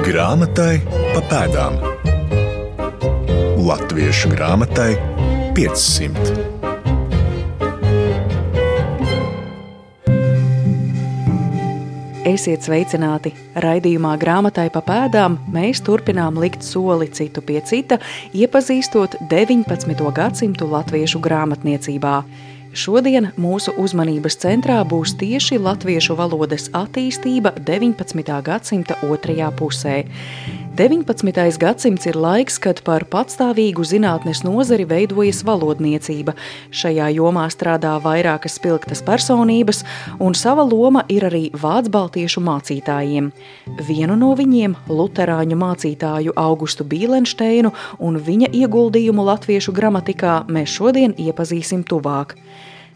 Grāmatai pa pēdām. Latviešu grāmatai 500. Esiet sveicināti! Raidījumā Grāmatai pa pēdām mēs turpinām likt soli citu pie cita, iepazīstot 19. gadsimtu latviešu grāmatniecībā. Šodien mūsu uzmanības centrā būs tieši latviešu valodas attīstība 19. gadsimta otrajā pusē. 19. gadsimts ir laiks, kad par patstāvīgu zinātnes nozari veidojas valodniecība. Šajā jomā strādā vairākas spilgtas personības, un sava loma ir arī vācbaltiešu mācītājiem. Vienu no viņiem, luterāņu mācītāju Augustu Bīlenšteinu un viņa ieguldījumu latviešu gramatikā mēs šodien iepazīsim tuvāk.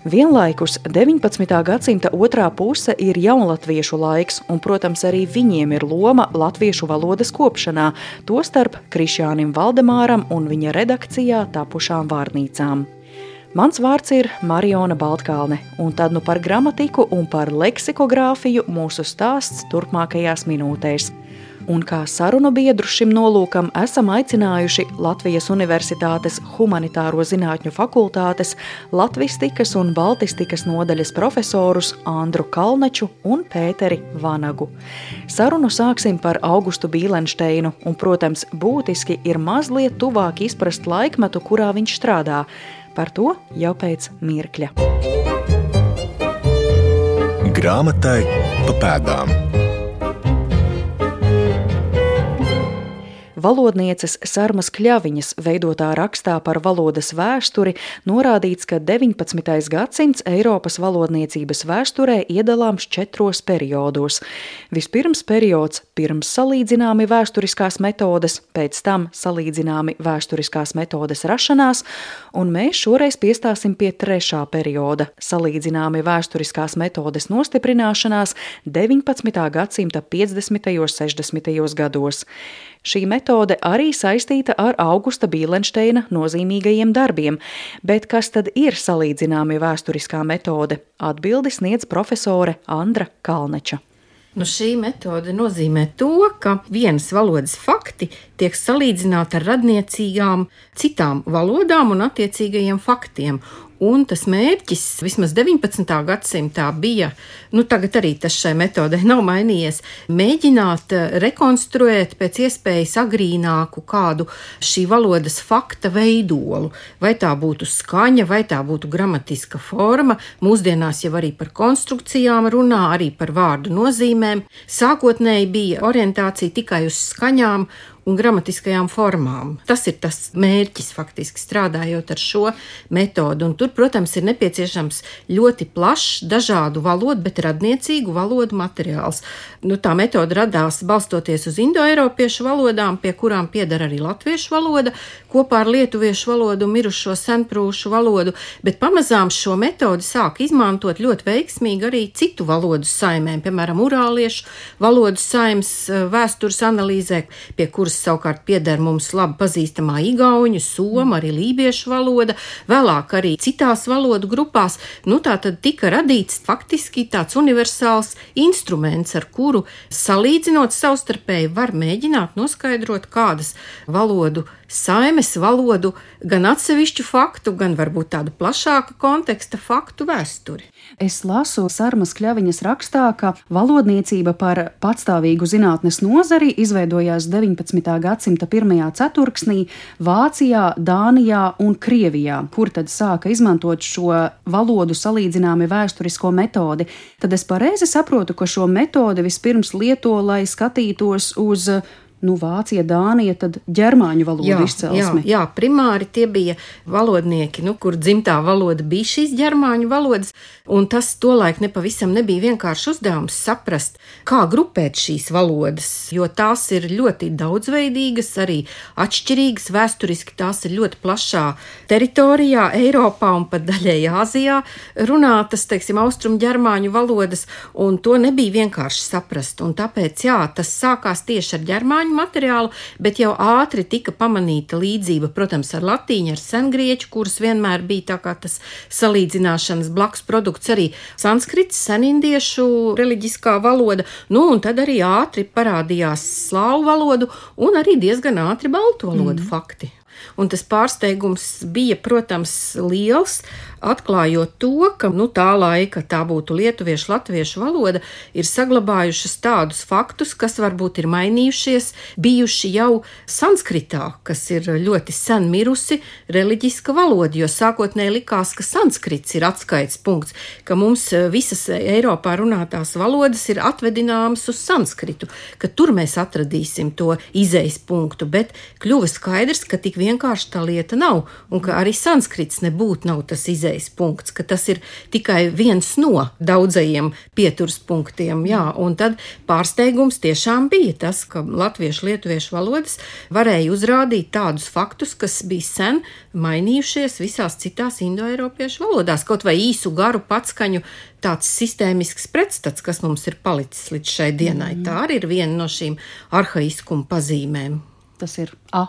Vienlaikus 19. gadsimta otrā puse ir jaunlatviešu laiks, un, protams, arī viņiem ir loma latviešu valodas kopšanā, tostarp Krišjānim Valdemāram un viņa redakcijā tapušām vārnīcām. Mans vārds ir Mariona Baltkalne, un tad nu par gramatiku un par leksikogrāfiju mūsu stāsts turpmākajās minūtēs. Un kā sarunu biedru šim nolūkam esam aicinājuši Latvijas Universitātes Humanitāro zinātņu fakultātes latvistikas un baltistikas nodaļas profesorus Andru Kalnaču un Pēteri Vanagu. Sarunu sāksim par Augustu Bīlenšteinu, un, protams, būtiski ir mazliet tuvāk izprast laikmetu, kurā viņš strādā. Par to jau pēc mirkļa. Grāmatai pa pēdām. Valodnieces Sarmas Kļaviņas veidotā rakstā par valodas vēsturi norādīts, ka 19. gadsimts Eiropas valodniecības vēsturē iedalāms 4 periodos. Vispirms periods pirms salīdzināmi vēsturiskās metodes, pēc tam salīdzināmi vēsturiskās metodes rašanās, un mēs šoreiz piestāsim pie 3. perioda – salīdzināmi vēsturiskās metodes nostiprināšanās 19. gadsimta 50. un 60. gados. Šī metode arī saistīta ar Augusta Bīlenšteina nozīmīgajiem darbiem, bet kas tad ir salīdzināmi vēsturiskā metode? Atbildi sniedz profesore Andra Kalnača. Šī metode nozīmē to, ka vienas valodas fakti tiek salīdzināti ar radniecīgām citām valodām un attiecīgajiem faktiem. Un tas mērķis vismaz 19. gadsimtā bija, tagad arī tas šai metodei nav mainījies, mēģināt rekonstruēt pēc iespējas agrīnāku kādu šī valodas fakta veidolu. Vai tā būtu skaņa, vai tā būtu gramatiska forma, mūsdienās jau arī par konstrukcijām runā, arī par vārdu nozīmēm. Sākotnēji bija orientācija tikai uz skaņām un gramatiskajām formām. Tas ir tas mērķis faktiski strādājot ar šo metodu. Un tur, protams, ir nepieciešams ļoti plašs, dažādu valodu, bet radniecīgu valodu materiāls. Tā metode radās balstoties uz indoeiropiešu valodām, pie kurām pieder arī latviešu valoda, kopā ar lietuviešu valodu un mirušo senprūšu valodu, bet pamazām šo metodi sāk izmantot ļoti veiksmīgi arī citu valodu saimēm, piemēram, urāliešu valodu saimes vēstures analīzē, pie kuras savukārt pieder mums labi pazīstamā igauņu, soma, arī lībiešu valoda, vēlāk arī citās valodu grupās. Tā tad tika radīts faktiski tāds universāls instruments, ar kuru salīdzinot savstarpēji var mēģināt noskaidrot kādas valodu saimes, valodu, gan atsevišķu faktu, gan varbūt tādu plašāku konteksta faktu vēsturi. Es lasu Sarmas Kļaviņas rakstā, ka valodniecība par patstāvīgu zinātnes nozari izveidojās 19. gadsimta pirmajā ceturksnī Vācijā, Dānijā un Krievijā, kur tad sāka izmantot šo valodu salīdzināmi vēsturisko metodi. Tad es pareizi saprotu, ka šo metodi vispirms lieto, lai skatītos uz Vācija, Dānija, tad ģermāņu valodu izcelsme. Jā, primāri tie bija valodnieki, kur dzimtā valoda bija šīs ģermāņu valodas, un tas tolaik nepavisam nebija vienkārši uzdevums saprast, kā grupēt šīs valodas, jo tās ir ļoti daudzveidīgas, arī atšķirīgas, vēsturiski tās ir ļoti plašā teritorijā, Eiropā un pat daļēji Āzijā runātas, austrumu ģermāņu valodas, un to nebija vienkārši saprast, un tāpēc, tas sākās tieši ar ģermāņu pieejami materiāli, bet jau ātri tika pamanīta līdzība, protams, ar latīņu, ar sengrieķu, kuras vienmēr bija tā kā tas salīdzināšanas blakus produkts, arī sanskrits, senindiešu reliģiskā valoda, un tad arī ātri parādījās slāvu valodu un arī diezgan ātri baltu valodu fakti. Un tas pārsteigums bija, protams, liels, atklājot to, ka tā laika, tā būtu lietuviešu, latviešu valoda, ir saglabājušas tādus faktus, kas varbūt ir mainījušies, bijuši jau sanskritā, kas ir ļoti sen mirusi reliģiska valoda, jo sākotnēji likās, ka sanskrits ir atskaites punkts, ka mums visas Eiropā runātās valodas ir atvedināmas uz sanskritu, ka tur mēs atradīsim to izejas punktu, bet kļuva skaidrs, ka tik vienkārši tā lieta nav, un ka arī sanskrits nebūtu nav tas izejas punkts, ka tas ir tikai viens no daudzajiem pieturas punktiem, un tad pārsteigums tiešām bija tas, ka latviešu, lietuviešu valodas varēja uzrādīt tādus faktus, kas bija sen mainījušies visās citās indoeiropiešu valodās, kaut vai īsu garu patskaņu tāds sistēmisks pretstats, kas mums ir palicis līdz šai dienai. Tā arī ir viena no šīm arhaiskuma pazīmēm. Tas ir a.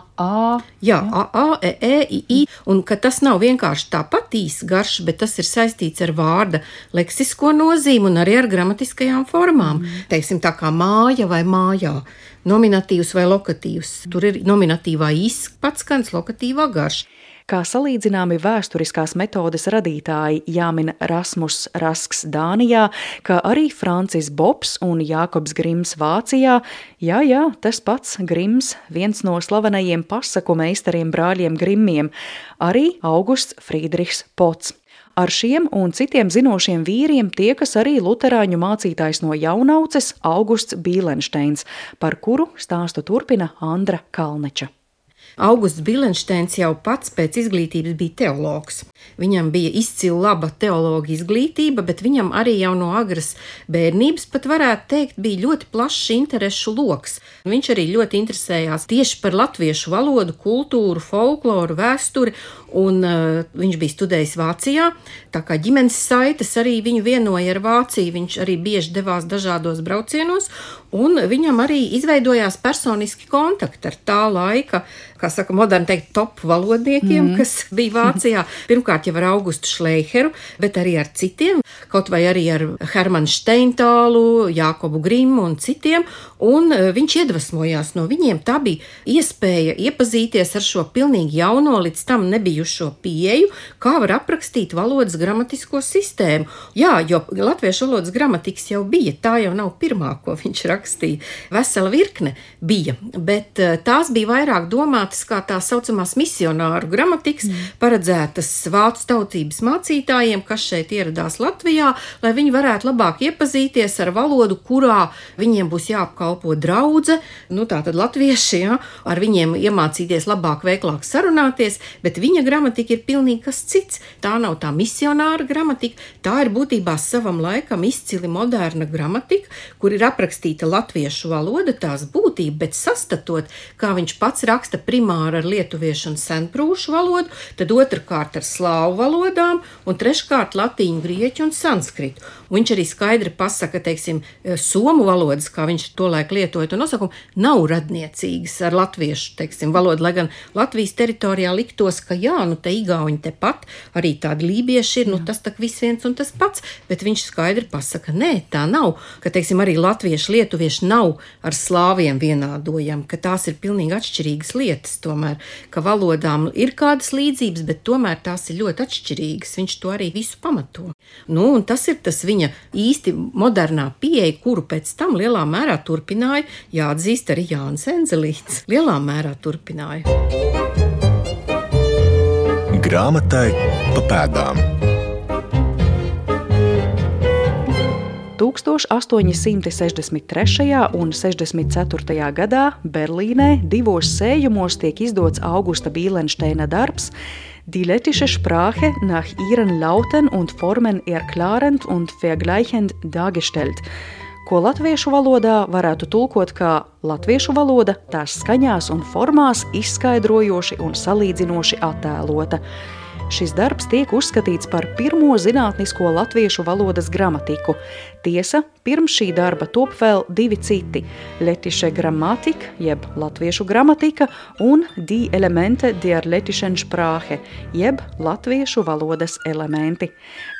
Jā, a, i, un ka tas nav vienkārši tāpat īsts garš, bet tas ir saistīts ar vārda leksisko nozīmi un arī ar gramatiskajām formām. Teiksim, tā kā māja vai mājā, nominatīvs vai lokatīvs. Tur ir nominatīvā īsts patskans, lokatīvā garš. Kā salīdzināmi vēsturiskās metodes radītāji jāmin Rasmus Rasks Dānijā, kā arī Francis Bobs un Jākobs Grims Vācijā. Jā, tas pats Grims, viens no slavenajiem pasaku meistariem brāļiem Grimmiem, arī Augusts Friedrichs Pots. Ar šiem un citiem zinošiem vīriem tiekas arī luterāņu mācītājs no Jaunauces Augusts Bīlenšteins, par kuru stāstu turpina Andra Kalneča. Augusts Bīlenšteins jau pats pēc izglītības bija teologs. Viņam bija izcila laba teologa izglītība, bet viņam arī jau no agras bērnības, pat varētu teikt, bija ļoti plašs interešu loks. Viņš arī ļoti interesējās tieši par latviešu valodu, kultūru, folkloru, vēsturi, un viņš bija studējis Vācijā, tā kā ģimenes saites arī viņu vienoja ar Vāciju, viņš arī bieži devās dažādos braucienos, un viņam arī izveidojās personiski kontakti ar tā laika, kā saka, moderni teikt, top valodniekiem, kas bija Vācijā. Pirmkārt jau ar Augustu Šleicheru, bet arī ar citiem, kaut vai arī ar Hermanu Steintālu, Jākobu Grimmu un citiem, un viņš iedvesmojās no viņiem. Tā bija iespēja iepazīties ar šo pilnīgi jauno, līdz tam nebijušo pieeju, kā var aprakstīt valodas gramatisko sistēmu. Jā, jo latviešu valodas gramatikas jau bija, tā jau nav pirmā, ko viņš rakstīja. Vesela virkne bija, bet tās bija vairāk domātas kā tā saucamās misionāru gramatikas, paredzētas vācu tautības mācītājiem, kas šeit ieradās Latvijā, lai viņi varētu labāk iepazīties ar valodu, kurā viņiem būs jāapkalpo draudze, tātad latvieši, ar viņiem iemācīties labāk, veiklāk sarunāties, bet viņa gramatika ir pilnīgi kas cits. Tā nav tā misionāra gramatika, tā ir būtībā savam laikam izcili moderna gramatika, kur ir aprakstīta latviešu valoda, tās būtība, bet sastatot, kā viņš pats raksta primāri ar lietuviešu un senprūšu valodu, tad otrkārt ar slāvu valodām un treškārt latīņu, grieķu un sanskritu. Un viņš arī skaidri pasaka, teiksim, somu valodas, kā viņš tolaik lietoja to nosaukumu, nav radniecīgas ar latviešu, teiksim, valodu, lai gan Latvijas teritorijā liktos, ka te igauņi tepat, arī tādi lībieši ir, tas tak viss viens un tas pats, bet viņš skaidri pasaka, nē, tā nav, ka, teiksim, arī latvieši, lietuvieši nav ar slāviem vienādojami, ka tās ir pilnīgi atšķirīgas lietas tomēr, ka valodām ir kādas līdzības, bet tomēr tās ir ļoti atšķirīgas, viņš to arī visu pamato. Un tas ir tas viņa īsti modernā pieeja, kuru pēc tam lielā mērā turpināja, jāatzīst arī Jānis Enzelīts, lielā mērā turpināja. Grāmatai pa pēdām. 1863. un 64. gadā Berlīnē 2 sējumos tiek izdots Augusta Bīlenšteina darbs Die lettische Sprache nach ihren Lauten und Formen erklärend und vergleichend dargestellt, ko latviešu valodā varētu tulkot kā latviešu valoda tās skaņās un formās izskaidrojoši un salīdzinoši attēlota. Šis darbs tiek uzskatīts par pirmo zinātnisko latviešu valodas gramatiku. Tiesa, pirms šī darba top vēl 2 citi – Lettische Grammatik, jeb latviešu gramatika, un Die Elemente der Lettischen Sprache, jeb latviešu valodas elementi.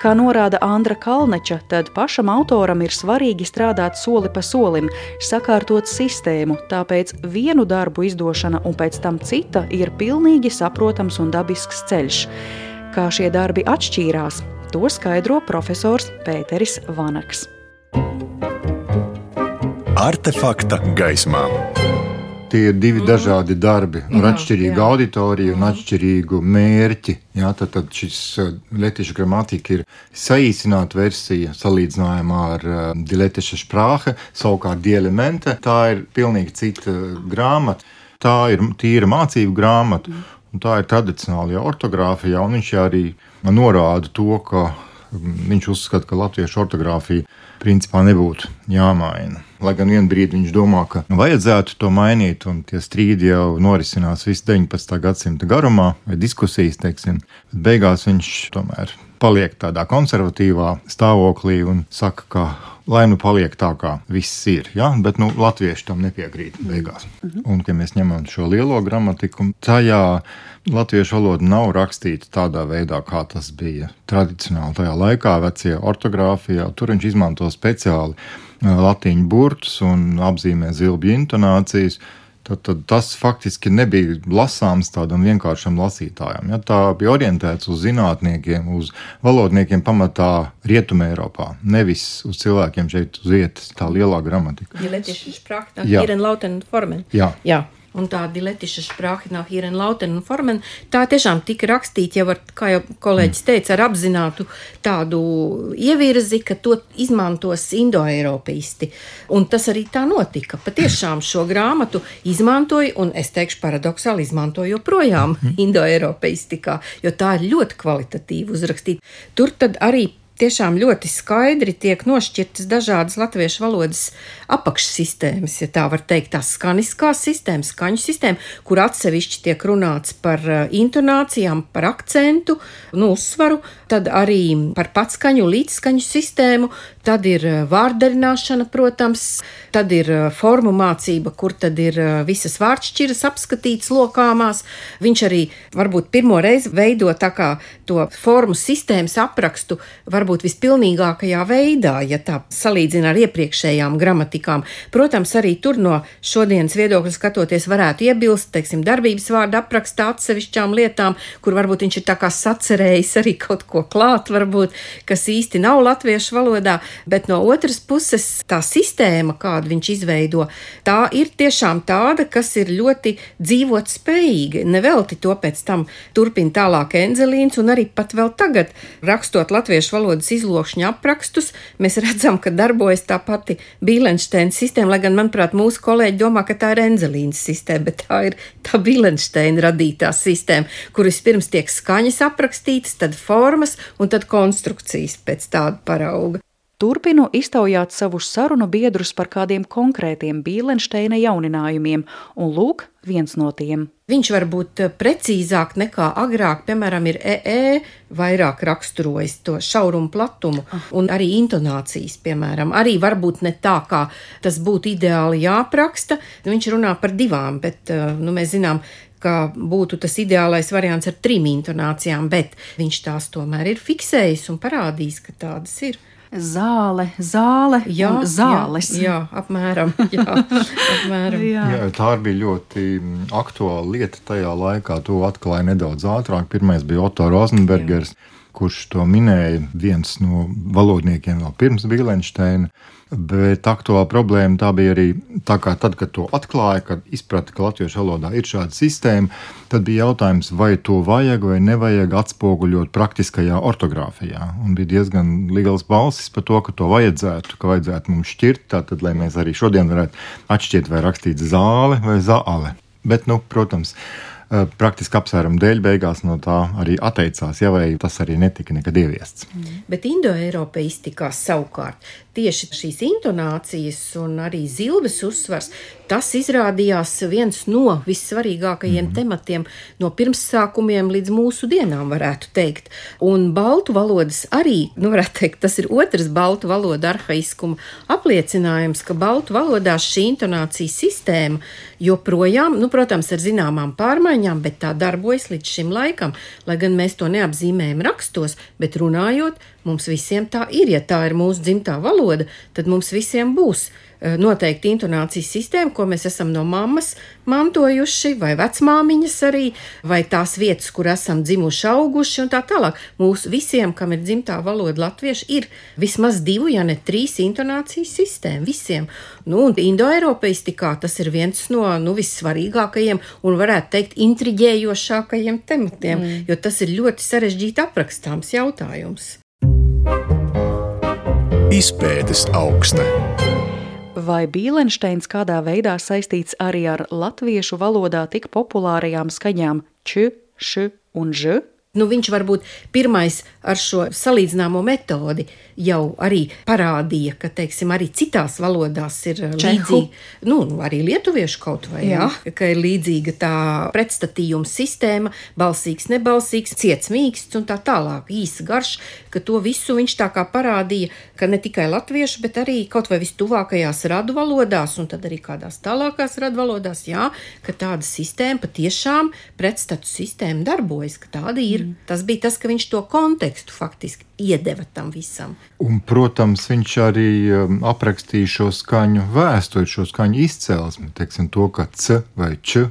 Kā norāda Andra Kalneča, tad pašam autoram ir svarīgi strādāt soli pa solim, sakārtot sistēmu, tāpēc vienu darbu izdošana un pēc tam cita ir pilnīgi saprotams un dabisks ceļš. Kā šie darbi atšķīrās, to skaidro profesors Pēteris Vanaks. Artefakta gaismā. Tie ir 2 dažādi darbi ar atšķirīgu auditoriju un atšķirīgu mērķi. Jā, tad šis Lettische Grammatik ir saīsināta versija salīdzinājumā ar Die Lettische Sprache, savukārt Die Elemente. Tā ir pilnīgi cita grāmata. Tā ir tīra mācību grāmata, un tā ir tradicionālajā ortogrāfijā, un viņš arī norāda to, ka viņš uzskata, ka latviešu ortogrāfija principā nebūtu jāmaina. Lai gan vienu brīdi viņš domā, ka vajadzētu to mainīt, un tie strīdi jau norisinās visu 19. gadsimta garumā, vai diskusijas, teiksim, bet beigās viņš tomēr paliek tādā konservatīvā stāvoklī un saka, ka lai nu paliek tā, kā viss ir, ja? Bet latvieši tam nepiekrīt beigās. Un, kad mēs ņemam šo lielo gramatiku, tajā latviešu valoda nav rakstīta tādā veidā, kā tas bija tradicionāli tajā laikā, vecie ortogrāfijā. Tur viņš izmanto speciāli latīņu burtus un apzīmē zilbju intonācijas. Tad tas faktiski nebija lasāms tādam vienkāršam lasītājam. Ja? Tā bija orientēts uz zinātniekiem, uz valodniekiem pamatā Rietumē Eiropā, nevis uz cilvēkiem šeit uz vietas, tā lielā gramatika. Die Lettische Sprache nach Hier in Lauten und Formen. Jā. Un tā Die Lettische Sprache nach Hier in Lauten und Formen, tā tiešām tika rakstīta jau ar, kā jau kolēģis teica, ar apzinātu tādu ievirzi, ka to izmantos indoeiropeisti. Un tas arī tā notika. Patiešām šo grāmatu izmantoja, un es teikšu paradoksāli izmantoja joprojām indoeiropeistikā, jo tā ir ļoti kvalitatīvi uzrakstīta. Tur tad arī tiešām ļoti skaidri tiek nošķirtas dažādas latviešu valodas apakšsistēmas, ja tā var teikt, tās skaniskās sistēmas, skaņu sistēma, kur atsevišķi tiek runāts par intonācijām, par akcentu, uzsvaru, tad arī par patskaņu, līdzskaņu sistēmu, tad ir vārdarināšana, protams, tad ir formu mācība, kur tad ir visas vārdšķiras apskatītas lokāmās. Viņš arī varbūt pirmo reizi veido tā kā to formu sistēmas aprakstu varbūt vispilnīgākajā veidā, ja tā salīdzina ar iepriekšējām gramatikām. Protams, arī tur no šodienas viedokļa skatoties varētu iebilst, teiksim, darbības vārda aprakstā atsevišķām lietām, kur varbūt viņš ir tā kā sacerējis arī kaut ko klāt, varbūt, kas īsti nav latviešu valodā, bet no otras puses tā sistēma, kādu viņš izveido, tā ir tiešām tāda, kas ir ļoti dzīvot spējīga. Nevelti to pēc tam turpina tālāk Enzelīns, un arī pat vēl tagad, rakstot latviešu valodas izlokšņa aprakstus, mēs redzam, ka darbojas tā pati Bīlenšteina sistēma, lai gan, manuprāt, mūsu kolēģi domā, ka tā ir Enzelīnas sistēma, bet tā ir tā Bīlenšteina radītā sistēma, kur vispirms tiek skaņas aprakstītas, tad formas un tad konstrukcijas pēc tāda parauga. Turpinu iztaujāt savus sarunu biedrus par kādiem konkrētiem Bīlenšteina jauninājumiem, un lūk, viens no tiem. Viņš var būt precīzāk nekā agrāk, piemēram, ir vairāk raksturojis to šaurumu platumu un arī intonācijas, piemēram. Arī varbūt ne tā, kā tas būtu ideāli jāapraksta, viņš runā par 2, bet mēs zinām, ka būtu tas ideālais variants ar 3 intonācijām, bet viņš tās tomēr ir fiksējis un parādījis, ka tādas ir. Zāle un zāles. Jā, apmēram. Jā, tā bija ļoti aktuāla lieta tajā laikā. To atklāja nedaudz ātrāk. Pirmais bija Otto Rozenbergers, kurš to minēja, viens no valodniekiem vēl pirms Bīlenšteina. Bet aktuāla problēma tā bija arī tā, kā tad, kad to atklāja, kad izprata, ka latviešu valodā ir šāda sistēma, tad bija jautājums, vai to vajag vai nevajag atspoguļot praktiskajā ortogrāfijā. Un bija diezgan liels balsis par to, ka to vajadzētu, ka vajadzētu mums šķirt, tātad, lai mēs arī šodien varētu atšķirt, vai rakstīt zāle vai zāle. Bet, protams, praktiski apsvērumu dēļ beigās no tā arī atteicās, ja vai tas arī netika nekad ieviests. Bet indoeiropeistikā savukārt tieši šīs intonācijas un arī zilbes uzsvars, tas izrādījās viens no vissvarīgākajiem tematiem no pirmssākumiem līdz mūsu dienām, varētu teikt. Un baltu valodas arī, varētu teikt, tas ir otrs baltu valoda arhaiskuma apliecinājums, ka baltu valodās šī intonācijas sistēma joprojām, protams, ar zināmām pārmaiņām, bet tā darbojas līdz šim laikam, lai gan mēs to neapzīmējam rakstos, bet runājot, mums visiem tā ir. Ja tā ir mūsu dzimtā valoda, tad mums visiem būs noteikti intonācijas sistēma, ko mēs esam no mammas mantojuši, vai vecmāmiņas arī, vai tās vietas, kur esam dzimuši, auguši un tā tālāk. Mūsu visiem, kam ir dzimtā valoda latviešu, ir vismaz 2, ja ne 3 intonācijas sistēma. Visiem. Un indoeiropeistikā tas ir viens no vissvarīgākajiem un varētu teikt intriģējošākajiem tematiem, jo tas ir ļoti sarežģīti aprakstāms jautājums. Izpētes augste. Vai Bīlenšteins kādā veidā saistīts arī ar latviešu valodā tik populārajām skaņām č, š un ž? Viņš varbūt pirmais ar šo salīdzināmo metodi jau arī parādīja, ka, teiksim, arī citās valodās ir līdzīga, arī lietuviešu kaut vai, ka ir līdzīga tā pretstatījuma sistēma, balsīgs, nebalsīgs, ciets, mīksts un tā tālāk, īsa, garš, ka to visu viņš tā kā parādīja, ka ne tikai latviešu, bet arī kaut vai vistuvākajās radu valodās un tad arī kādās tālākās radu valodās, ka tāda sistēma patiešām pretstatu sistēma darbojas, ka tāda ir. Tas bija tas, ka viņš to kontekstu faktiski iedeva tam visam. Un, protams, viņš arī aprakstīja šo skaņu vēsturi, šo skaņu izcelsmi, teiksim to, ka c vai č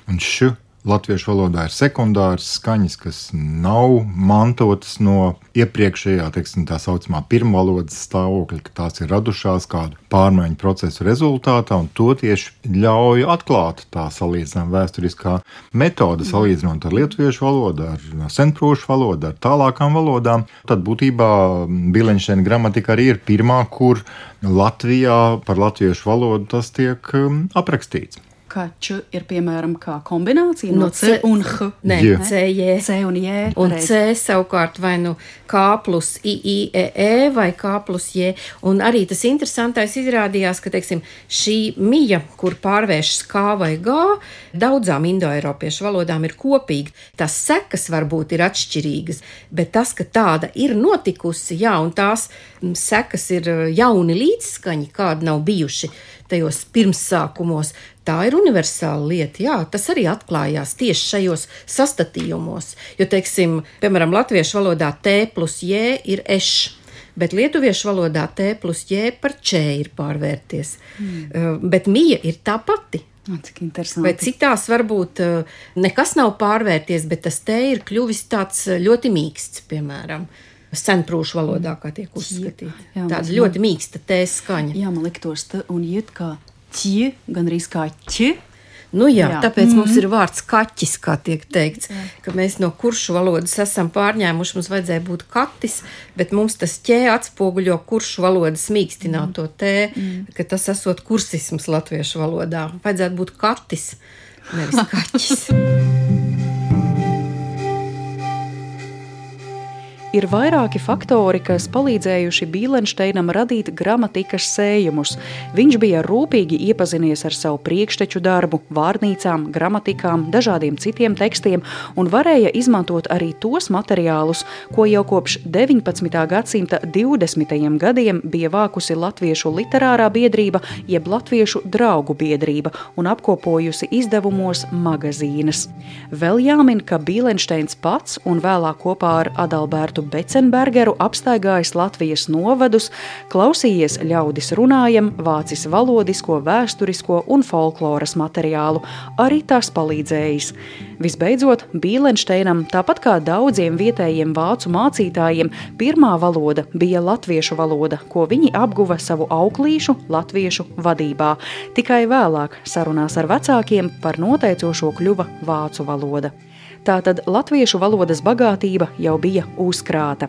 un š latviešu valodā ir sekundāras skaņas, kas nav mantotas no iepriekšējā, teiksim, tā saucamā pirmvalodas stāvokļa, ka tās ir radušās kādu pārmaiņu procesu rezultātā, un to tieši ļauj atklāt tā salīdzinājuma vēsturiskā metode, salīdzinot ar lietuviešu valodu, ar senprūšu valodu, ar tālākām valodām. Tad būtībā Bīlenšteina gramatika arī ir pirmā, kur Latvijā par latviešu valodu tas tiek aprakstīts. Kā č ir, piemēram, kā kombinācija no c un h. Nē, c, j. C un j. Un c savukārt vai k plus i, e, vai k plus j. Un arī tas interesantais izrādījās, ka, teiksim, šī mija, kur pārvēršas k vai g, daudzām indoeiropiešu valodām ir kopīga. Tās sekas varbūt ir atšķirīgas, bet tas, ka tāda ir notikusi, un tās sekas ir jauni līdzskaņi, kādi nav bijuši tajos pirmssākumos, tā ir universāla lieta, tas arī atklājās tieši šajos sastatījumos, jo, teiksim, piemēram, latviešu valodā t plus j ir eš, bet lietuviešu valodā t plus j par č ir pārvērties, bet mija ir tā pati. Cik interesanti. Vai citās varbūt nekas nav pārvērties, bet tas t ir kļuvis tāds ļoti mīksts, piemēram, senprūšu valodā, kā tiek uzskatīta. Tāda ļoti mīksta t skaņa. Jā, man liktos t un jūt kā ķi, gan arī kā ķi. Tāpēc mums ir vārds kaķis, kā tiek teikts, ka mēs no kuršu valodas esam pārņēmuši, mums vajadzēja būt katis, bet mums tas ķē atspoguļo kuršu valodas mīkstināto t, ka tas esot kursisms latviešu valodā. Vajadzētu būt katis, nevis kaķis. Ir vairāki faktori, kas palīdzējuši Bīlenšteinam radīt gramatikas sējumus. Viņš bija rūpīgi iepazinies ar savu priekšteču darbu, vārnīcām, gramatikām, dažādiem citiem tekstiem un varēja izmantot arī tos materiālus, ko jau kopš 19. gadsimta 20. gadiem bija vākusi Latviešu literārā biedrība jeb Latviešu draugu biedrība un apkopojusi izdevumos magazīnas. Vēl jāmin, ka Bīlenšteins pats un vēlāk kopā ar Adalbertu Becenbergeru apstaigājis Latvijas novadus, klausījies ļaudis runājam, vācis valodisko, vēsturisko un folkloras materiālu, arī tas palīdzējis. Visbeidzot, Bīlenšteinam, tāpat kā daudziem vietējiem vācu mācītājiem, pirmā valoda bija latviešu valoda, ko viņi apguva savu auklīšu latviešu vadībā. Tikai vēlāk sarunās ar vecākiem par noteicošo kļuva vācu valoda. Tātad latviešu valodas bagātība jau bija uzkrāta.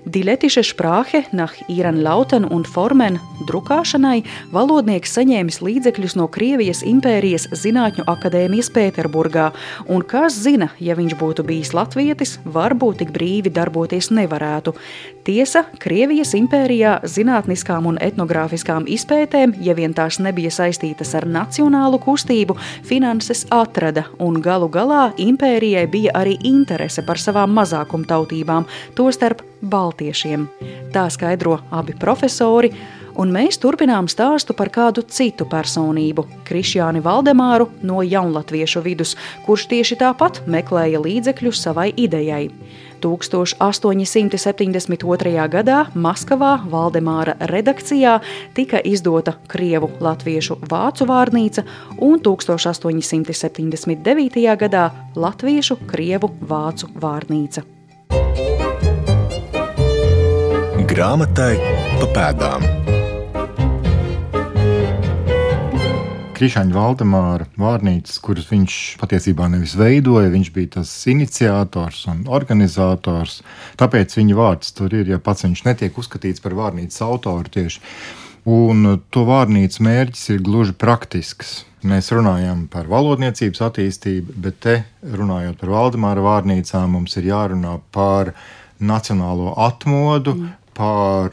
Die lettische Sprache nach ihren Lauten un Formen drukāšanai valodnieks saņēmis līdzekļus no Krievijas impērijas Zinātņu akadēmijas Pēterburgā, un kas zina, ja viņš būtu bijis latvietis, varbūt tik brīvi darboties nevarētu. Tiesa, Krievijas impērijā zinātniskām un etnogrāfiskām izpētēm, ja vien tās nebija saistītas ar nacionālu kustību, finanses atrada, un galu galā impērijai bija arī interese par savām mazākumtautībām, tostarp baltiešiem. Tā skaidro abi profesori, un mēs turpinām stāstu par kādu citu personību, Krišjāni Valdemāru no jaunlatviešu vidus, kurš tieši tāpat meklēja līdzekļus savai idejai. 1872. gadā Maskavā Valdemāra redakcijā tika izdota krievu, latviešu, vācu vārnīca un 1879. gadā latviešu, krievu, vācu vārnīca. Grāmatai pa pēdām. Krišjāņa Valdemāra vārnīcas, kuras viņš patiesībā nevis veidoja, viņš bija tas iniciators un organizators, tāpēc viņa vārds tur ir, ja pats viņš netiek uzskatīts par vārnīcas autoru tieši. Un to vārnīcas mērķis ir gluži praktisks. Mēs runājam par valodniecības attīstību, bet te, runājot par Valdemāra vārnīcām, mums ir jārunā par nacionālo atmodu, par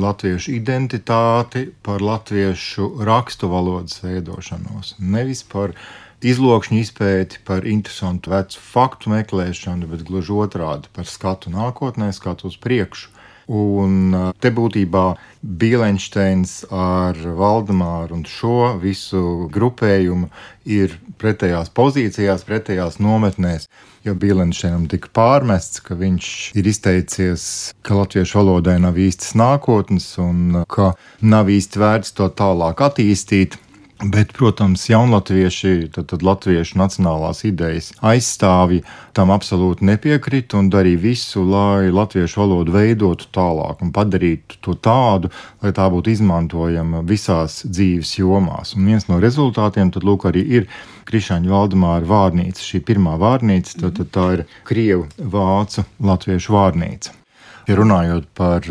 latviešu identitāti, par latviešu rakstu valodas veidošanos. Nevis par izlokšņu izpēti, par interesantu vecu faktu meklēšanu, bet gluži otrādi par skatu nākotnē, skatu uz priekšu. Un te būtībā Bielenšteins ar Valdemāru un šo visu grupējumu ir pretējās pozīcijās, pretējās nometnēs, jo Bielenšteinam tika pārmests, ka viņš ir izteicies, ka latviešu valodai nav īstas nākotnes un ka nav īsti vērts to tālāk attīstīt. Bet, protams, jaunatvieši, tad latviešu nacionālās idejas aizstāvji tam absolūti nepiekrita un darīja visu, lai latviešu valodu veidotu tālāk un padarītu to tādu, lai tā būtu izmantojama visās dzīves jomās. Un viens no rezultātiem tad lūk arī ir Krišjāņa Valdemāra vārnīca. Šī pirmā vārnīca, tad tā ir krievu, vācu, latviešu vārnīca. Ja runājot par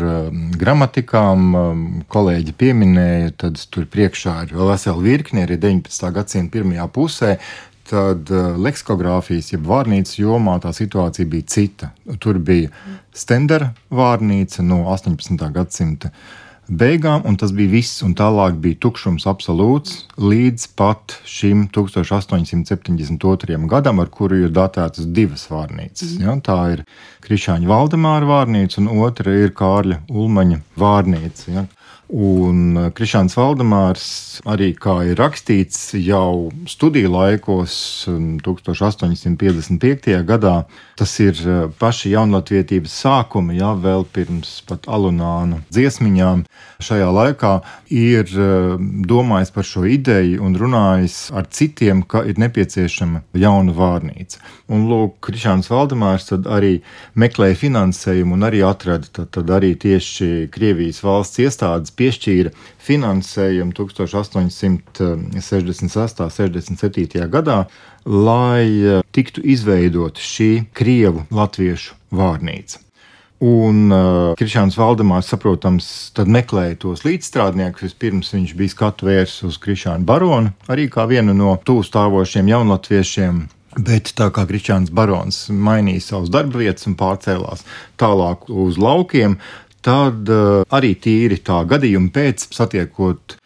gramatikām, kolēģi pieminēja, tad tur priekšā ir vēl vesela virkne, arī 19. gadsimta pirmajā pusē, tad leksikogrāfijas, jeb vārnīcas jomā tā situācija bija cita. Tur bija Stendera vārnīca no 18. gadsimta beigām, un tas bija viss, un tālāk bija tukšums absolūts līdz pat šim 1872. gadam, ar kuru ir datētas divas vārnīcas. Ja, tā ir Krišjāņa Valdemāra vārnīca, un otra ir Kārļa Ulmaņa vārnīca. Ja. Un Krišjāns Valdemārs arī, kā ir rakstīts jau studiju laikos 1855. gadā, tas ir paši jaunlatvietības sākumi, ja, vēl pirms pat alunānu dziesmiņām. Šajā laikā ir domājis par šo ideju un runājis ar citiem, ka ir nepieciešama jauna vārnīca. Un lūk, Krišjāns Valdemārs tad arī meklēja finansējumu un arī atrada, tad arī tieši Krievijas valsts iestādes piešķīra finansējumu 1866.67. gadā, lai tiktu izveidot šī krievu latviešu vārnīca. Un Krišjāns Valdemārs, saprotams, tad meklēja tos līdzstrādniekus. Vispirms viņš bija skatu vērsis uz Krišjānu Baronu, arī kā vienu no tuvu stāvošiem jaunlatviešiem. Bet tā kā Krišjāns Barons mainīja savus darba vietas un pārcēlās tālāk uz laukiem, tad arī tīri tā gadījuma pēc, satiekot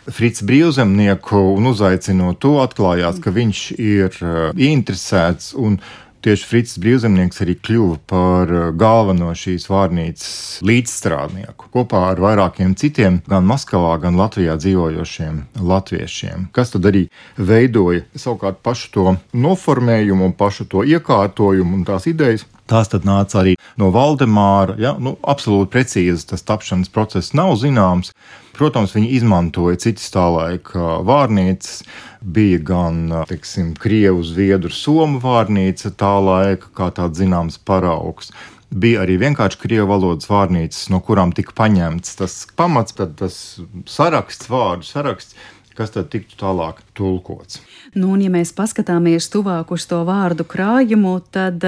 Fricu Brīvzemnieku un uzaicinot to, atklājās, ka viņš ir ieinteresēts, un tieši Fricis Brīvzemnieks arī kļuva par galveno šīs vārnīcas līdzstrādnieku kopā ar vairākiem citiem, gan Maskavā, gan Latvijā dzīvojošiem latviešiem, kas tad arī veidoja savukārt pašu to noformējumu un pašu to iekārtojumu un tās idejas. Tās tad nāca arī no Valdemāra, ja, absolūti precīzi tas tapšanas process nav zināms. Protams, viņi izmantoja citas tā laika vārnīcas, bija gan, teiksim, krievu, zviedru, somu vārnīca tā laika, kā tāds zināms paraugs. Bija arī vienkārši krievu valodas vārnīcas, no kurām tika paņemts tas pamats, tad tas saraksts, vārdu saraksts, kas tad tiktu tālāk tulkots. Nu, un ja mēs paskatāmies tuvāk uz to vārdu krājumu, tad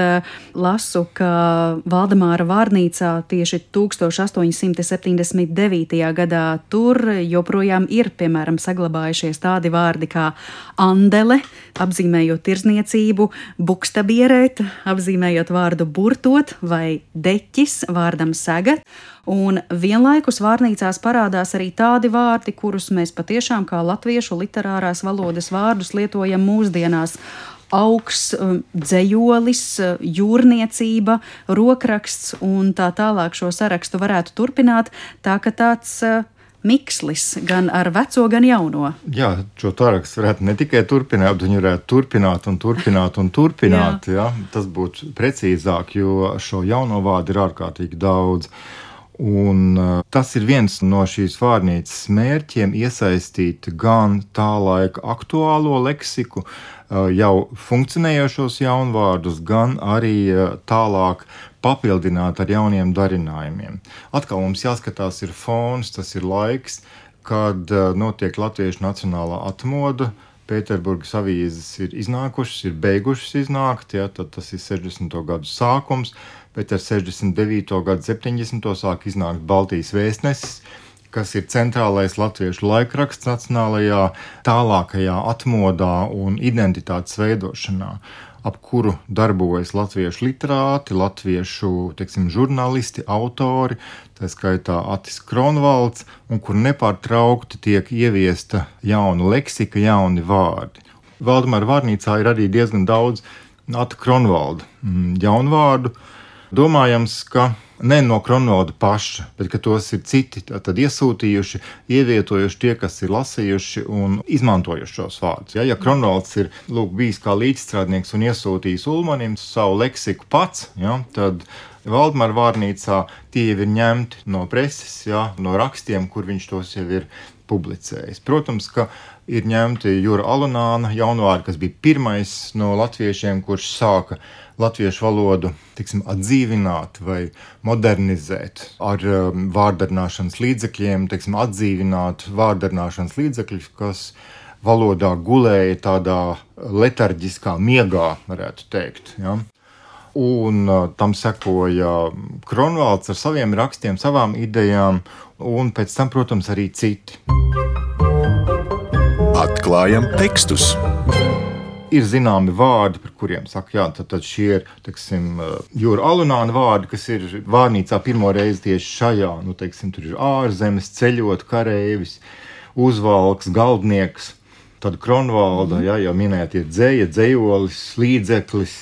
lasu, ka Valdemāra vārnīcā tieši 1879. gadā tur joprojām ir, piemēram, saglabājušies tādi vārdi kā andele, apzīmējot tirzniecību, bukstabierēt, apzīmējot vārdu burtot vai deķis, vārdam segat. Un vienlaikus vārnīcās parādās arī tādi vārdi, kurus mēs patiešām kā latviešu literārās valodas vārdus lietojam mūsdienās. Augs, dzejolis, jūrniecība, rokraksts un tā tālāk šo sarakstu varētu turpināt, tā ka tāds mikslis gan ar veco, gan jauno. Jā, šo sarakstu varētu ne tikai turpināt, bet viņi varētu turpināt. Jā. Tas būtu precīzāk, jo šo jauno vārdu ir ārkārtīgi daudz. Un tas ir viens no šīs vārnīcas mērķiem iesaistīt gan tā laika aktuālo leksiku, jau funkcionējošos jaunvārdus, gan arī tālāk papildināt ar jauniem darinājumiem. Atkal mums jāskatās ir fons, tas ir laiks, kad notiek latviešu nacionālā atmoda. Pēterburgas avīzes ir iznākušas, ir beigušas iznākt, ja, tad tas ir 60. gadu sākums, bet ar 69. gadu 70. sāk iznākt Baltijas vēstnesis, kas ir centrālais latviešu laikraksts nacionālajā tālākajā atmodā un identitātes veidošanā, ap kuru darbojas latviešu literāti, latviešu, žurnālisti, autori, tā skaitā Atis Kronvalds, un kur nepārtraukti tiek ieviesta jauna leksika, jauni vārdi. Valdemāra vārnīcā ir arī diezgan daudz Ata Kronvalda jaunvārdu. Domājams, ka ne no Kronvalda paša, bet ka tos ir citi tad iesūtījuši, ievietojuši tie, kas ir lasījuši un izmantojuši šos vārdus. Ja Kronvalds ir bijis kā līdzstrādnieks un iesūtījis Ulmanim savu leksiku pats, tad Valdemāra vārnīcā tie jau ir ņemti no preses, no rakstiem, kur viņš tos jau ir publicējis. Protams, ka ir ņemti Jura Alunāna jaunvārdi, kas bija pirmais no latviešiem, kurš sāka latviešu valodu atdzīvināt vai modernizēt ar vārdarināšanas līdzekļiem, atdzīvināt vārdarināšanas līdzekļus, kas valodā gulēja tādā letarģiskā miegā, varētu teikt. Ja? Un tam sekoja Kronvalds ar saviem rakstiem, savām idejām, un pēc tam, protams, arī citi. Atklājam tekstus. Ir zināmi vārdi, par kuriem saka, tad šie ir, Jura Alunāna vārdi, kas ir vārnīcā pirmo reizi tieši šajā, tur ir ārzemes, ceļot, kareivis, uzvalks, galdnieks, tad Kronvalda, jau minēt ir dzēja, dzējolis, līdzeklis,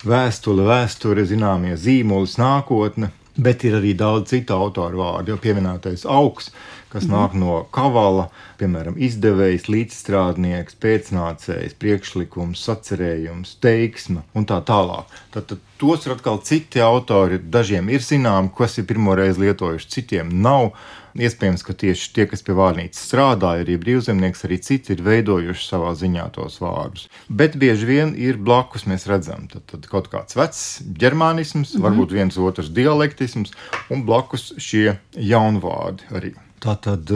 vēsture, zināmie zīmolis, nākotne, bet ir arī daudz citu autoru vārdu, jau pieminētais augs, kas nāk no kavala, piemēram, izdevējs, līdzstrādnieks, pēcnācējs, priekšlikums, sacerējums, teiksme un tā tālāk. Tad tos ir atkal citi autori, dažiem ir zinām, kas ir pirmoreiz lietojuši, citiem nav. Iespējams, ka tieši tie, kas pie vārnīcas strādāja, arī brīvzemnieks, arī citi ir veidojuši savā ziņā tos vārdus. Bet bieži vien ir blakus, mēs redzam, tad kaut kāds vecs ģermānisms, varbūt viens otrs dialektisms, un blakus šie jaunvārdi arī. Tātad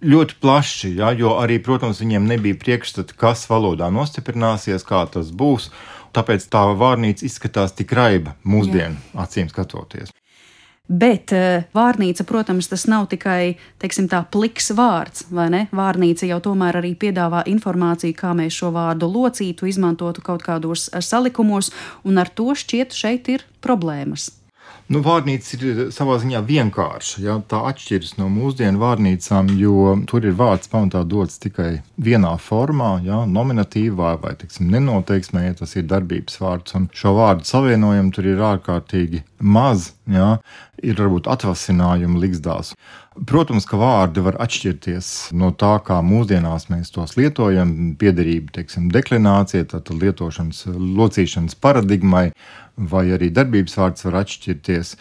ļoti plaši, jo arī, protams, viņiem nebija priekšstati, kas valodā nostiprināsies, kā tas būs, tāpēc tā vārnīca izskatās tik raiba mūsdienu acīm skatoties. Bet vārnīca, protams, tas nav tikai, tā pliks vārds, vai ne? Vārnīca jau tomēr arī piedāvā informāciju, kā mēs šo vārdu locītu, izmantotu kaut kādos salikumos, un ar to šķiet šeit ir problēmas. Vārnīca ir savā ziņā vienkārša, tā atšķiras no mūsdienu vārnīcām, jo tur ir vārds pamatā dots tikai vienā formā, nominatīvā vai, nenoteiksmē, ja tas ir darbības vārds, un šo vārdu savienojumu tur ir ārkārtīgi maz, ir varbūt atvasinājumi liksdās. Protams, ka vārdi var atšķirties no tā, kā mūsdienās mēs tos lietojam, piederība, deklinācija, tātad lietošanas, locīšanas paradigmai, vai arī darbības vārds var atšķirties.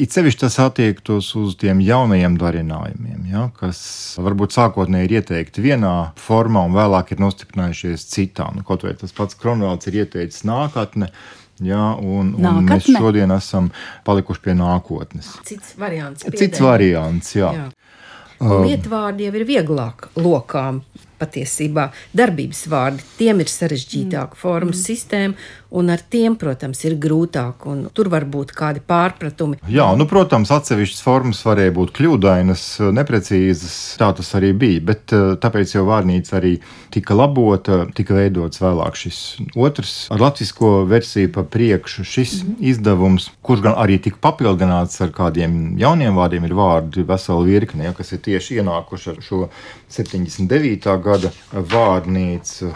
It sevišķi tas attiektos uz tiem jaunajiem darinājumiem, kas varbūt sākotnēji ir ieteikti vienā formā un vēlāk ir nostiprinājušies citā. Kaut vai tas pats Kronvalds ir ieteicis nākotne, un mēs šodien esam palikuši pie nākotnes. Cits variants. Cits variants, jā. Lietvārdi jau ir vieglāk lokām patiesībā darbības vārdi. Tiem ir sarežģītāka formu sistēma, un ar tiem, protams, ir grūtāk, un tur var būt kādi pārpratumi. Jā, protams, atsevišķas formas varēja būt kļūdainas, neprecīzas, tā tas arī bija, bet tāpēc jau vārnīca arī tika labota, tika veidots vēlāk šis otrs ar latvisko versiju pa priekšu šis izdevums, kurš gan arī tika papildināts ar kādiem jauniem vārdiem, ir vārdi vesela virkne, kas ir tieši ienākuši ar šo 79. gada vārnīcu.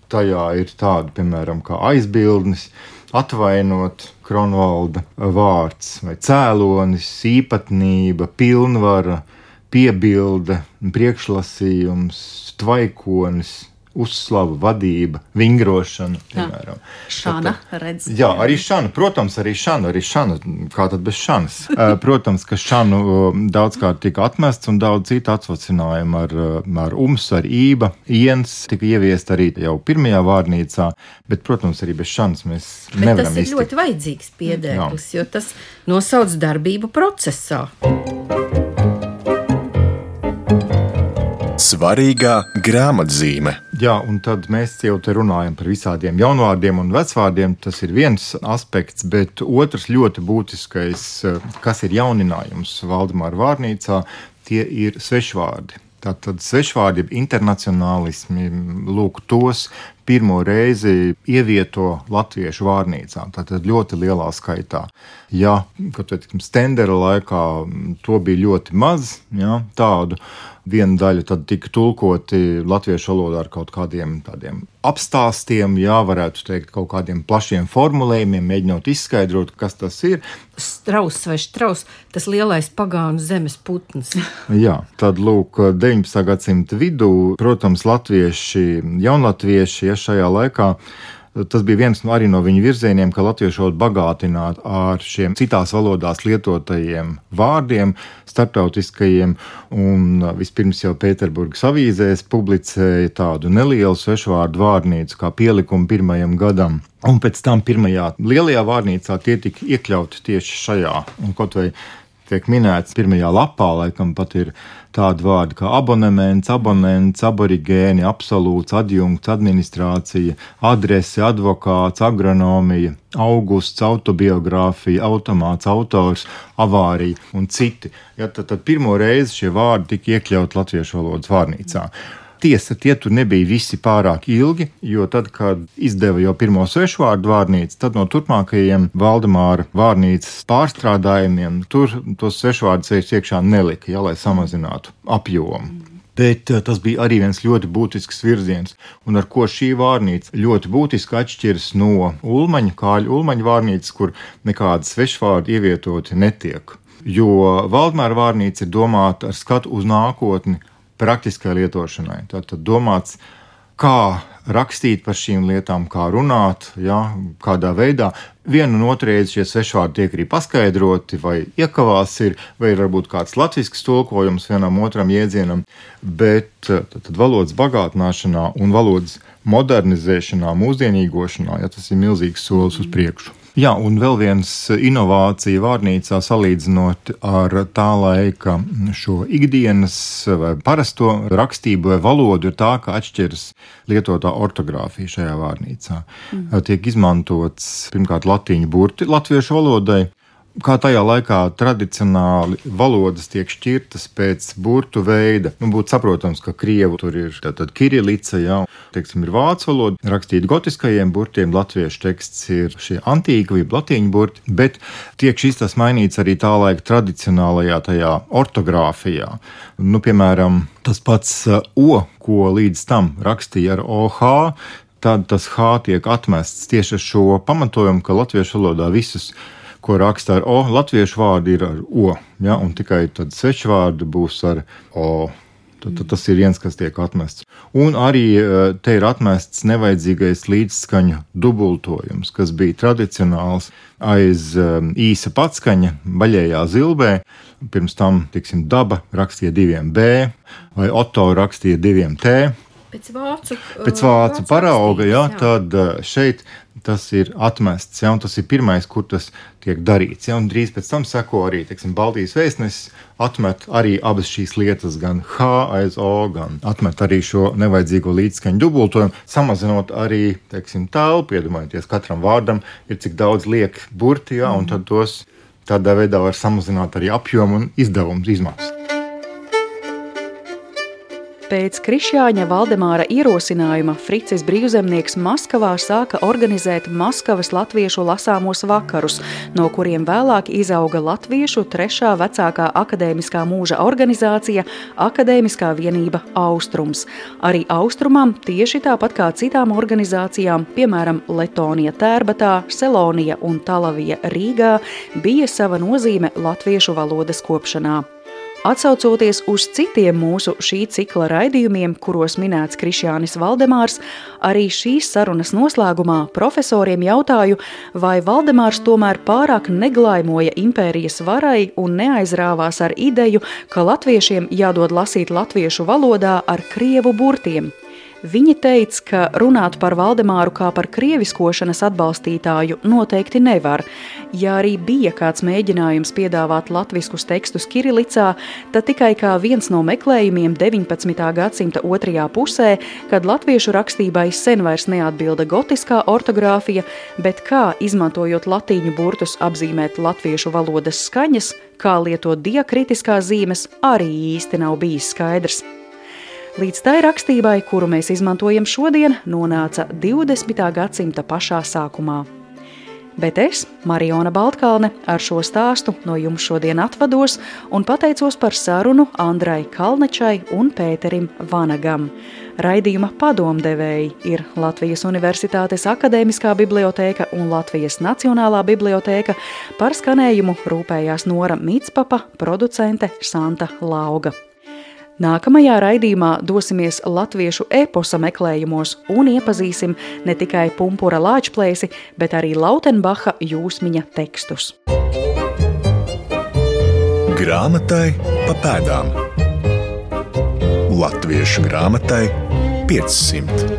Tajā ir tādi, piemēram, kā aizbildnis, atvainot, Kronvalda vārds, vai cēlonis, īpatnība, pilnvara, piebilde, priekšlasījums, tvaikonis, uzslava, vadība, vingrošana, piemēram. Šana, redz. Jā, arī šana, protams, arī šana, kā tad bez šanas. Protams, ka šanu daudzkārt tika atmests un daudz citu atsvacinājumu ar ar ība, iens tika ieviest arī jau pirmajā vārnīcā, bet, protams, arī bez šanas mēs nevaram iztikt. Bet tas ir ļoti vajadzīgs piedēklis, jo tas nosauc darbību procesā. Svarīgā grāmatzīme. Jā, un tad mēs jau te runājam par visādiem jaunvārdiem un vecvārdiem. Tas ir viens aspekts, bet otrs ļoti būtiskais, kas ir jauninājums Valdemāra vārnīcā, tie ir svešvārdi. Tātad svešvārdi, internacionālismi, lūk, tos pirmo reizi ievieto latviešu vārnīcā. Tātad ļoti lielā skaitā. Ja, Stendera laikā to bija ļoti maz, tādu viena daļa tad tika tulkoti latviešu valodā ar kaut kādiem tādiem apstāstiem, varētu teikt, kaut kādiem plašiem formulējumiem, mēģinot izskaidrot, kas tas ir. Strauss vai štraus, tas lielais pagānu zemes putns. Jā, tad lūk, 19. gadsimta vidū, protams, latvieši, jaunlatvieši, šajā laikā, tas bija viens arī no viņu virzieniem, ka latviešu valodu bagātināt ar šiem citās valodās lietotajiem vārdiem, starptautiskajiem, un vispirms jau Pēterburgas avīzēs publicēja tādu nelielu svešvārdu vārnīcu kā pielikumu pirmajam gadam. Un pēc tam pirmajā lielajā vārnīcā tie tika iekļauti tieši šajā. Un kaut vai tiek minēts pirmajā lapā, laikam pat ir tādi vārdi kā abonements, abonents, aborigēni, absolūts, adjunkts, administrācija, adrese, advokāts, agronomija, augusts, autobiogrāfija, automāts, autors, avārija un citi. Tad pirmo reizi šie vārdi tika iekļauti latviešu valodas vārnīcā. Tiesa, tie tur nebija visi pārāk ilgi, jo tad, kad izdeva jau pirmo svešvārdu vārnīcu, tad no turpmākajiem Valdemāra vārnīcas pārstrādājumiem tur tos svešvārdus iekšā nelika, lai samazinātu apjomu. Bet tas bija arī viens ļoti būtisks virziens, un ar ko šī vārnīca ļoti būtiski atšķiras no Kāļa Ulmaņa vārnīcas, kur nekādas svešvārdi ievietoti netiek. Jo Valdemāra vārnīca ir domāta ar skatu uz nākotni, praktiskai lietošanai. Tātad domāts, kā rakstīt par šīm lietām, kā runāt, kādā veidā. Vienu un otru reizi šie svešvārdi tiek arī paskaidroti, vai iekavās ir, vai ir varbūt kāds latvisks tulkojums vienam otram jēdzienam, bet tad valodas bagātināšanā un valodas modernizēšanā, mūsdienīgošanā, tas ir milzīgs solis uz priekšu. Jā, un vēl viens inovācija vārnīcā salīdzinot ar tā laika šo ikdienas vai parasto rakstību vai valodu ir tā, ka atšķiras lietotā ortogrāfija šajā vārnīcā. Tiek izmantots pirmkārt latīņu burti latviešu valodai. Kā tajā laikā tradicionāli valodas tiek šķirtas pēc burtu veida. Būtu saprotams, ka krievu tur ir tātad kirilica, ir vācu valoda, rakstīt gotiskajiem burtiem, latviešu teksts ir šie antīki vai latīņu burti, bet tiek tas mainīts arī tā laika tradicionālajā tajā ortogrāfijā. Piemēram, tas pats O, ko līdz tam rakstīja ar OH, tad tas H tiek atmests tieši ar šo pamatojumu, ka latviešu valodā visus ko raksta ar O, latviešu vārdi ir ar O, un tikai tad svešvārdi būs ar O. Tad tas ir viens, kas tiek atmests. Un arī te ir atmests nevajadzīgais līdzskaņu dubultojums, kas bija tradicionāls aiz īsa patskaņa baļējā zilbē. Pirms tam, daba rakstīja 2 B, vai Otto rakstīja 2 T. Pēc vācu parauga, jā. Tad šeit tas ir atmests, un tas ir pirmais, kur tas tiek darīts. Un drīz pēc tam seko arī, Baltijas vēstnesis atmet arī abas šīs lietas, gan H aiz O, gan atmet arī šo nevajadzīgo līdzskaņu dubultojumu, samazinot arī, telpu, iedomājieties, katram vārdam ir cik daudz liek burti, un tad tos tādā veidā var samazināt arī apjomu un izdevumu izmaksas. Pēc Krišjāņa Valdemāra ierosinājuma Fricis Brīvzemnieks Maskavā sāka organizēt Maskavas latviešu lasāmos vakarus, no kuriem vēlāk izauga latviešu trešā vecākā akadēmiskā mūža organizācija Akadēmiskā vienība Austrums. Arī Austrumam tieši tāpat kā citām organizācijām, piemēram Letonija Tērbatā, Selonija un Talavija Rīgā, bija sava nozīme latviešu valodas kopšanā. Atsaucoties uz citiem mūsu šī cikla raidījumiem, kuros minēts Krišjānis Valdemārs, arī šīs sarunas noslēgumā profesoriem jautāju, vai Valdemārs tomēr pārāk neglaimoja impērijas varai un neaizrāvās ar ideju, ka latviešiem jādod lasīt latviešu valodā ar krievu burtiem. Viņi teica, ka runāt par Valdemāru kā par krieviskošanas atbalstītāju noteikti nevar. Ja arī bija kāds mēģinājums piedāvāt latviskus tekstus kirilicā, tad tikai kā viens no meklējumiem 19. gadsimta otrajā pusē, kad latviešu rakstībai sen vairs neatbilda gotiskā ortogrāfija, bet kā, izmantojot latīņu burtus, apzīmēt latviešu valodas skaņas, kā lietot diakritiskās zīmes, arī īsti nav bijis skaidrs. Līdz tai rakstībai, kuru mēs izmantojam šodien, nonāca 20. gadsimta pašā sākumā. Bet es, Mariona Baltkalne, ar šo stāstu no jums šodien atvados un pateicos par sarunu Andrai Kalnečai un Pēterim Vanagam. Raidījuma padomdevēji ir Latvijas Universitātes Akadēmiskā bibliotēka un Latvijas Nacionālā bibliotēka, par skanējumu rūpējās Nora Mitspapa, producente Santa Lauga. Nākamajā raidījumā dosimies latviešu eposa meklējumos un iepazīsim ne tikai Pumpura Lāčplēsi, bet arī Lautenbacha jūsmiņa tekstus. Grāmatai pa pēdām. Latviešu grāmatai 500.